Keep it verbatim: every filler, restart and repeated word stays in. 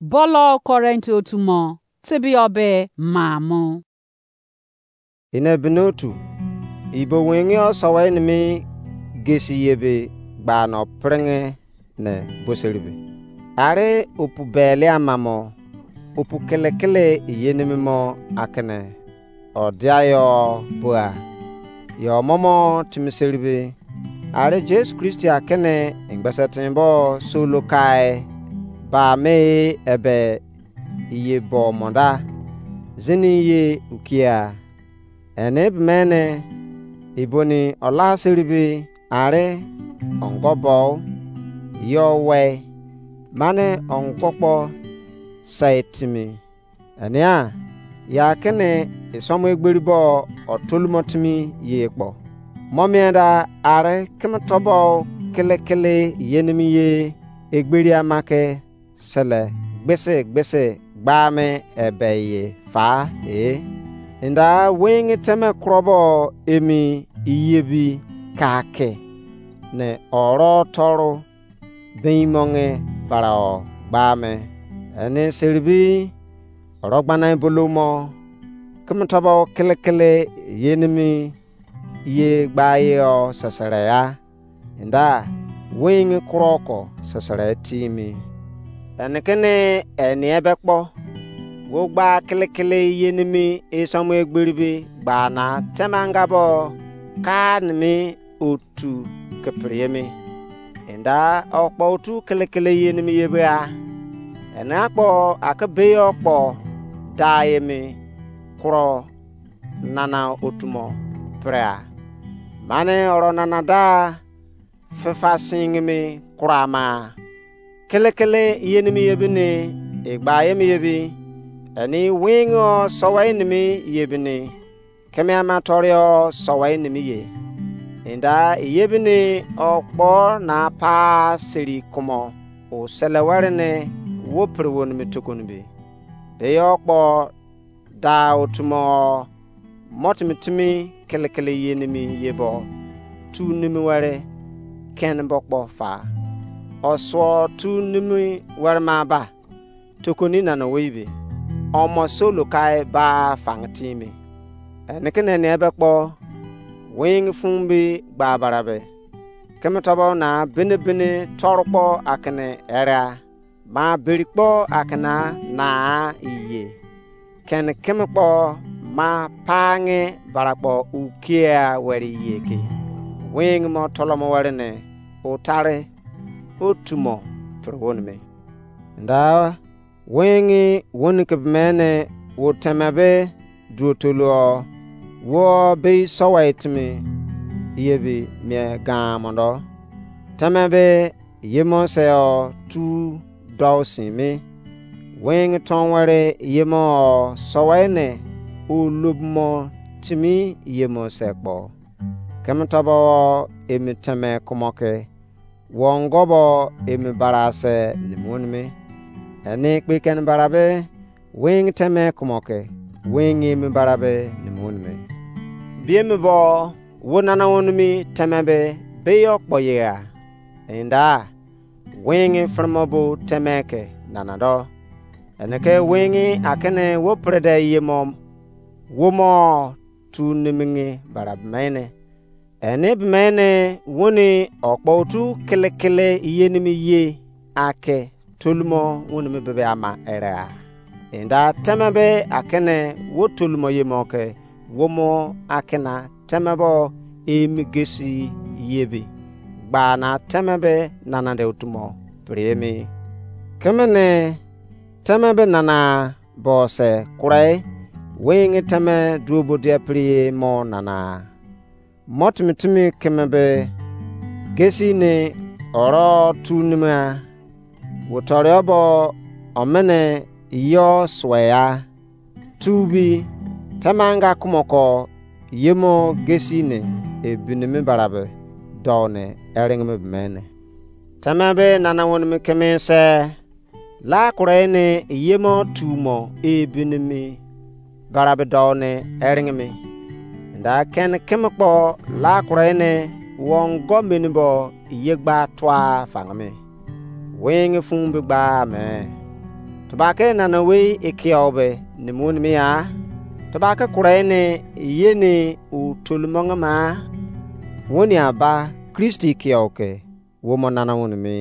Bolo Korint otu mo, tebio be ma mo. Ine bini otu, ibo wengi o sowe nimi gesi yebe gba no pringe ne boseribe. Are opu bele amamo, opu kele kele yenimi mo akene odiayo bua. Yo momo timiseribe. Are Jesu Kristi akene engbese timbo solo kai ba me ebe iye bo monda. Zini ye ukia. Ene bemene iboni ola seribe are ongo bo yo we mane ongo kpo sai timi. Enia ya kene isomo egberi bo otolumo timi ye kpo. Mo mienda are keme tobo kele kele yenimi ye egberi ama ke sele gbese gbese gba me ebe ye fa e. Inda wengi teme krobo emi iyebi ka ke ne oro toru bin monge bara o gba me. Ene seribi oro gbana bolomo keme tobo kele kele yenimi ye gba ye o sesere ya. Inda wengi kuro ko sesere timi. Enikene eni ebe kpo wo gba kele kele yenimi isomo egberibe gba na temanga bo ka nimi otu ke pre emi. Inda okpo otu kele kele yenimi ye bra. Ene akpo ake be okpo da emi kuro nana otumo prea. Mane oro nana da fefa singimi kura ma. Kele kele yenimi ye bini, egba yemi ye bi, eni wingo sowe nimi ye bini, keme ama torio sowe nimi ye. Inda ye bini okpo na pa seri kumo o sele were ne wo pre wo nimi tukuni bi. Be yo kpo da otumo mo timi timi kele kele yenimi ye bo tu nimi were ken bo kpo fa. Osuo tu nimi were ma ba tokoni nana weibe omo solo kai ba fang timi. Ene ke nene ebe kpo wing fun bi gba barabe. Keme tobo na bene bene toru kpo akene era ma beri kpo akena na iye. Ken keme kpo ma pange bara kpo ukia weri iye ke. Wing mo tolomo weri ne utare otumo pre wonimi. Nda wing woni ke mene wo teme be duotoluo wo be sowa timi ye bi mie gan mondo. Teme be yemo se o tu dou simi. Wing ton were yemo o sowe ne o lobmo timi yemo se kpo. Keme tobo o emi teme kumo ke wongo bo emi bara se nimi wonimi. Eni kpe ken bara be wing teme kumo ke wing emi bara be nimi wonimi. Biemi bo wo nana wonimi teme be be yo kpo yegha. Inda wing fremo bo teme ke nana do. Ene ke wing akene wo prede yemo wo mo tu nimingi bara bemene. Ene bemene woni okpo otu kele kele yenimi ye ake tolumo wonimi bebe ama erea. Inda teme be akene wo tolumo yemo ke womo akena teme bo emi gesi yebi gba na teme be nana de otumo pre emi. Keme ne teme be nana bo se kurai wing teme duobo dia pri mo nana. Mo timi timi keme be gesi ne oro tu nima. Wo torio bo omene yo sweya. Tu bi temanga kumoko yemo gesi ne ebinimi barabe dou ne eringimi bemene. Teme be nana wonimi keme se la kure ne yemo tumo ebinimi barabe dou ne eringimi. Nda ken keme kpo la kure ne wongo meni bo yegba tua fangimi. Wing fun be gba me. Tebake nana wei ekiau be nimi wonimi ya? Tebake kure ne ye ne u tolumong ma? Woni aba Kristi ekiau ke wo mo nana wonimi.